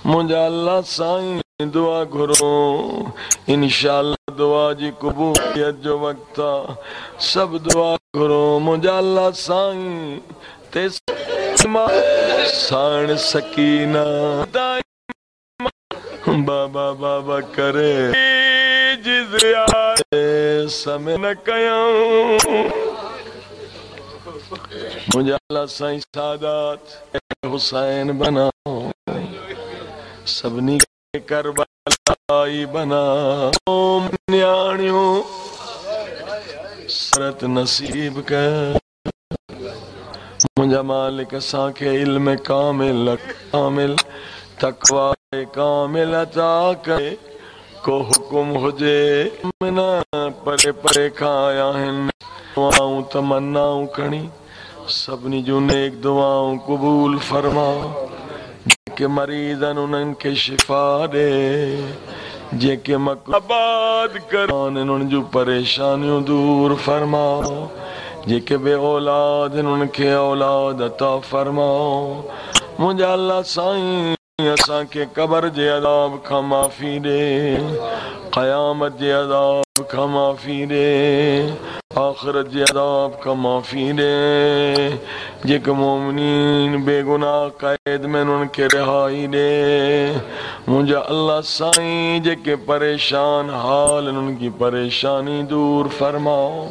मुंहिंजा अल्लाह साईं दुआ घुरो, इंशाअल्लाह दुआ जी क़बूलियत जो वक़्तु आहे, सभु दुआ घुरो। मुंहिंजा अल्लाह साईं ते साइण सकीना बाबा बाबा करे समय न कयूं। मुंहिंजा अल्लाह साईं सादात हुसैन बनाओ, सभिनी खे करबलाई बनाओ। नियाणियूं सरत नसीब कर। मुंहिंजा मालिक असांखे इल्म कामिल कामिल तक़वा कामिल अता करे। को हुकुम हुजे न परे परे खां आया आहिनि, दुआऊं तमन्नाऊं खणी सभिनी जूं नेक दुआऊं क़बूल फरमा। जेके मरीज़ आहिनि उन्हनि खे शिफ़ा ॾे, जेके आबाद कर उन्हनि जूं परेशानियूं दूर फरमा, जेके बे औलाद आहिनि उन्हनि खे औलाद अता फरमा। मुंहिंजा अल्लाह साईं असांखे क़बर जे अज़ाब खां माफ़ी ॾे, क़यामत जे अज़ाब खां माफ़ी ॾे, आख़िरत जे अज़ाब खां माफ़ी ॾे। जेके मोमिनीन बेगुनाह क़ैद में उन्हनि खे रिहाई ॾे। मुंहिंजा अल्लाह साईं जेके परेशान हाल उन्हनि खे परेशानी दूर फरमाओ।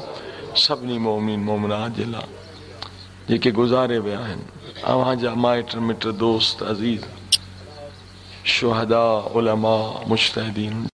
सभिनी मोमिन मोमिनात जे लाइ जेके गुज़ारे विया आहिनि, अव्हां जा माइट मिट दोस्त अज़ीज़ शुहदा उलमा मुज्तहिदीन।